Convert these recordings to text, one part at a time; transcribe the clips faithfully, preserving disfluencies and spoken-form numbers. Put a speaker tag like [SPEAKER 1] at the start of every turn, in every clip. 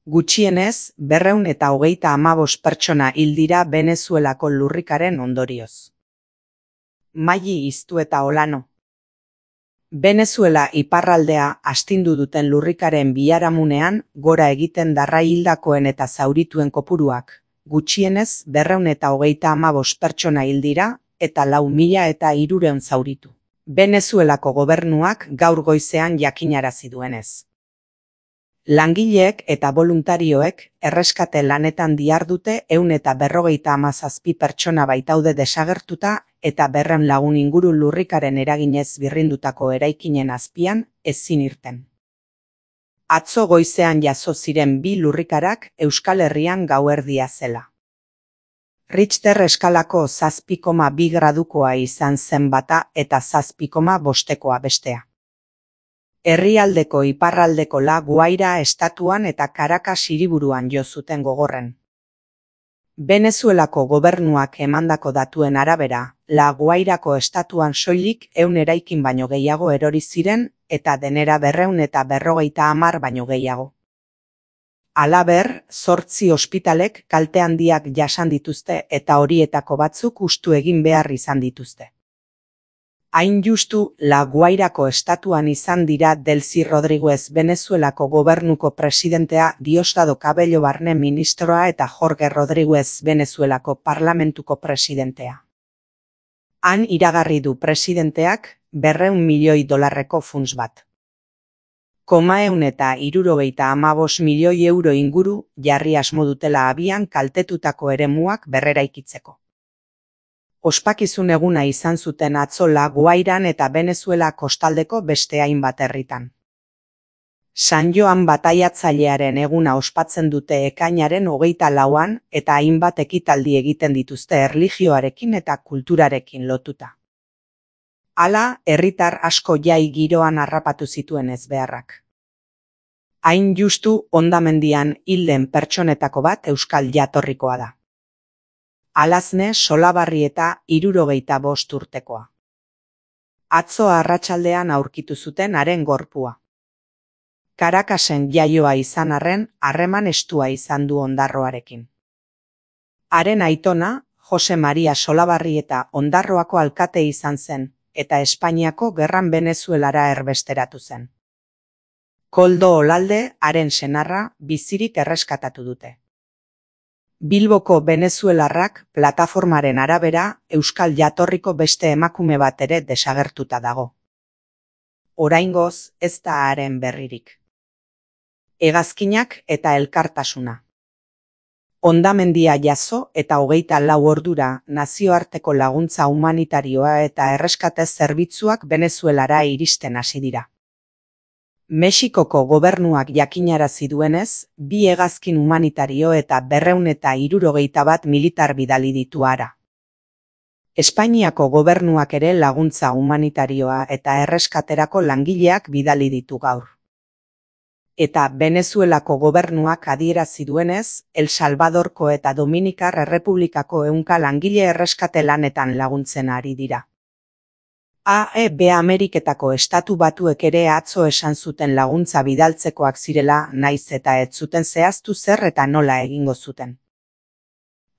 [SPEAKER 1] Gutxienez, berrehun eta hogeita hamabost pertsona hil dira Venezuelako lurrikaren ondorioz. Maili Iztu eta Olano. Venezuela iparraldea astindu duten lurrikaren biharamunean gora egiten darra hildakoen eta zaurituen kopuruak, gutxienez berrehun eta hogeita hamabost pertsona hil dira eta lau mila eta hirurehun zauritu. Venezuelako gobernuak gaur goizean jakinarazi duenez. Langileek eta voluntarioek erreskate lanetan dihardute ehun eta berrogeita hamazazpi pertsona baitaude desagertuta eta berrehun lagun inguru lurrikaren eraginez birrindutako eraikinen azpian ezin irten. Atzo goizean jazo ziren bi lurrikarak Euskal Herrian gauerdia zela. Richter eskalako zazpi koma bi gradukoa izan zen bata eta zazpi koma bostekoa bestea. Herrialdeko iparraldeko La Guaira estatuan eta Caracas hiriburuan jo zuten gogorren. Venezuelako gobernuak emandako datuen arabera, La Guairako estatuan soilik ehun eraikin baino gehiago erori ziren eta denera berrehun eta berrogeita hamar baino gehiago. Halaber, zortzi ospitalek kalte handiak jasan dituzte eta horietako batzuk hustu egin behar izan dituzte. Hain justu, La Guairako estatuan izan dira Delcy Rodríguez Venezuelako gobernuko presidentea, Diosdado Cabello barne ministroa eta Jorge Rodríguez Venezuelako parlamentuko presidentea. Han iragarri du presidenteak berrehun milioi dolarreko funts bat. Koma ehun eta hirurogeita hamabost milioi euro inguru jarri asmo dutela abian kaltetutako eremuak berreraikitzeko. Ospakizun eguna izan zuten atzo La Guairan eta Venezuela kostaldeko beste hainbat herritan. San Joan bataiatzailearen eguna ospatzen dute ekainaren hogeita lauan eta hainbat ekitaldi egiten dituzte erlijioarekin eta kulturarekin lotuta. Hala, herritar asko jai giroan harrapatu zituen ezbeharrak. Hain justu hondamendian hilden pertsonetako bat euskal jatorrikoa da. Alazne Solabarrieta hirurogeita bost urtekoa. Atzo arratsaldean aurkitu zuten haren gorpua. Caracasen jaioa izan arren, harreman estua izan du Ondarroarekin. Haren aitona, Jose Maria Solabarrieta Ondarroako alkate izan zen, eta Espainiako gerran Venezuelara erbesteratu zen. Koldo Olalde, haren senarra, bizirik erreskatatu dute. Bilboko venezuelarrak plataformaren arabera euskal jatorriko beste emakume bat ere desagertuta dago. Oraingoz ez da haren berririk. Hegazkinak eta elkartasuna. Hondamendia jazo eta hogeita lau ordura nazioarteko laguntza humanitarioa eta erreskate zerbitzuak Venezuelara iristen hasi dira. Mexikoko gobernuak jakinarazi duenez, bi hegazkin humanitario eta berrehun eta hirurogeita bat militar bidali ditu hara. Espainiako gobernuak ere laguntza humanitarioa eta erreskaterako langileak bidali ditu gaur. Eta Venezuelako gobernuak adierazi duenez, El Salvadorko eta Dominikar Errepublikako ehunka langile erreskate lanetan laguntzen ari dira. A E B Ameriketako estatu batuek ere atzo esan zuten laguntza bidaltzekoak zirela, naiz eta ez zuten zehaztu zer eta nola egingo zuten.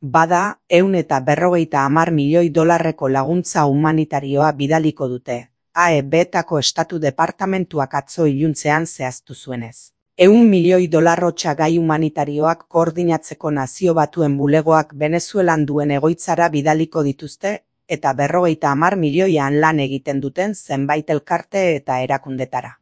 [SPEAKER 1] Bada, ehun eta berrogeita hamar milioi dolarreko laguntza humanitarioa bidaliko dute, A E B-tako estatu departamentuak atzo iluntzean zehaztu zuenez. Ehun milioi dolar gai humanitarioak koordinatzeko Nazio Batuen bulegoak Venezuelan duen egoitzara bidaliko dituzte, eta berrogeita hamar milioian lan egiten duten zenbait elkarte eta erakundetara.